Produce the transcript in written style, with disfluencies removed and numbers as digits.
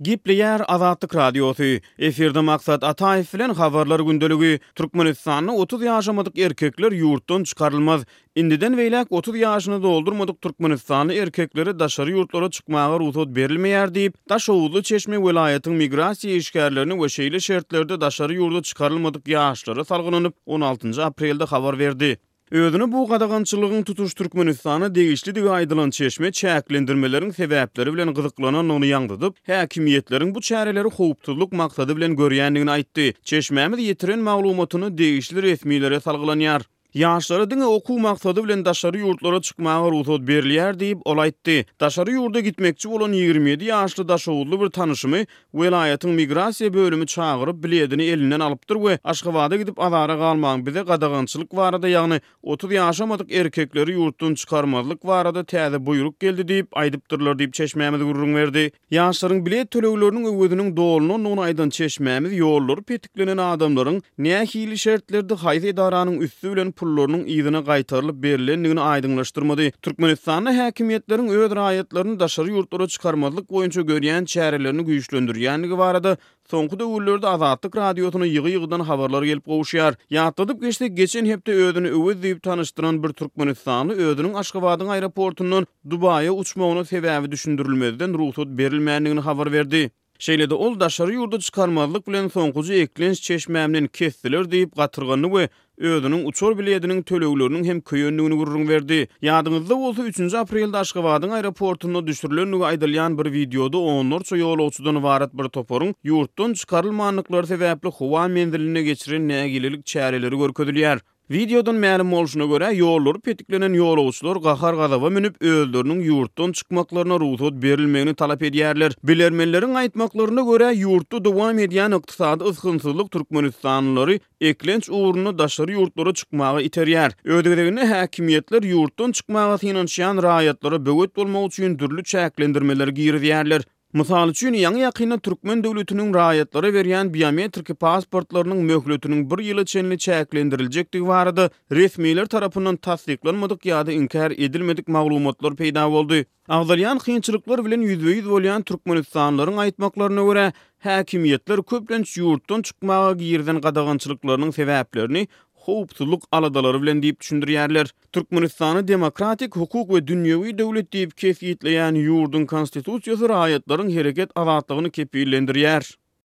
Gepleýär Azatlyk Radiosy. Efirde Maksat Ataýew bilen Habarlar gündeligi. Türkmenistanda 30 ýaşamadyk erkekler ýurtdan çykarylmaz. Indiden beýläk 30 ýaşyny doldurmadyk türkmenistanly erkeklere daşary ýurtlara çykmaga rugsat berilmeýär diýip, daşoguzly çeşme welaýatyň migrasiýa işgärlerine we şeýle şertlerde daşary ýurda çykarylmadyk ýaşlara salgylanyp, on altynjy aprelde habar berdi. Özüne bu gadagançylygyň tutuş Türkmenistana degişlidigi aýdylan çeşme çäklendirmeleriň sebäpleri bilen gyzyklanandygyny ýaňzydyp, häkimiýetleriň bu çäreleri howpsuzlyk maksady bilen görýändigini aýtdy. Çeşmämiz ýetiren maglumatyny degişli resmilere salgylanýar. Ýaşlara diňe okuw maksady bilen daşary ýurtlara çykmaga rugsat berilýär diýip, ol aýtdy. Daşary ýurda gitmekçi bolan 27 ýaşly daşoguzly bir tanyşymy welaýatyň migrasiýa bölümi çagyryp, biledini elinden alypdyr we Aşgabada gidip azara galmaň, bize gadagançylyk barada, ýagny 30 ýaşamadyk erkekleri ýurtdan çykarmazlyk barada täze buýruk geldi diýip, aýdypdyrlar diýip, çeşmämiz gürrüň berdi. Ýaşlaryň bilet tölegleriniň öweziniň dolunandygyny aýdan çeşmämiz ýollary petiklenen adamlaryň nähili şertlerde haýsy edaranyň üsti bilen pullarynyň yzyna gaýtarylyp berlendigini aýdyňlaşdyrmady. Türkmenistanda häkimiýetleriň öz raýatlaryny daşary ýurtlara çykarmazlyk boýunça görýän çärelerini güýçlendirýändigi barada Soňky döwürlerde Azatlyk Radiosyna ýygy-ýygydan habarlar gelip gowuşýar. Ýatladyp geçsek, geçen hepde özüni Öwez diýip tanyşdyran bir türkmenistanly özüniň Aşgabadyň aeroportundan Dubaýa uçmagyna sebäbi düşündirilmezden rugsat berilmändigini habar berdi. Şeýle-de ol daşary ýurda çykarmazlyk bilen soňkuja eklenç çeşmämden kesdiler diýip gatyrgandy we özüniň uçar bilediniň tölegleriniň hem köýendigini gürrüň berdi. Ýadyňyzda bolsa, üçünji aprelde Aşgabadyň aeroportunda düşürilendigi aýdylýan bir wideoda onlarça ýolagçydan ybarat bir toparyň ýurtdan çykarylmandyklary sebäpli howa menzilinde geçiren nägilelik çäreleri görkezilýär. Wideodan mälim bolşuna görä, ýollary petiklenen ýolagçylar gahar-gazaba münüp, özleriniň ýurtdan çykmaklaryna rugsat berilmegini talap edýärler. Bilermenleriň aýtmaklaryna görä, ýurtda dowam edýän ykdysady ysgynsyzlyk türkmenistanlylary eklenç ugrunda daşary ýurtlara çykmaga iterýär. Öz gezeginde häkimiýetler ýurtdan çykmaga synanyşýan raýatlara böwet bolmak üçin dürli çäklendirmeleri girizýärler. Mysal üçin, ýaňy-ýakynda türkmen döwletiniň raýatlara berýän biometriki pasportlarynyň möhletiniň bir ýyla çenli çäklendiriljekdigi barada resmiler tarapyndan tassyklanmadyk ýa-da inkär edilmedik maglumatlar peýda boldy. Agzalýan kynçylyklar bilen ýüzbe-ýüz bolýan türkmenistanlylaryň aýtmaklaryna görä, häkimiýetler köplenç ýurtdan çykmaga girizen gadagançylyklarynyň sebäplerini howpsuzlyk aladalary bilen diýip düşündirýärler. Türkmenistany demokratik, hukuk we dünýewi döwlet diýip kesgitleýän ýurduň Konstitusiýasy raýatlaryň hereket azatlygyny kepillendirýär.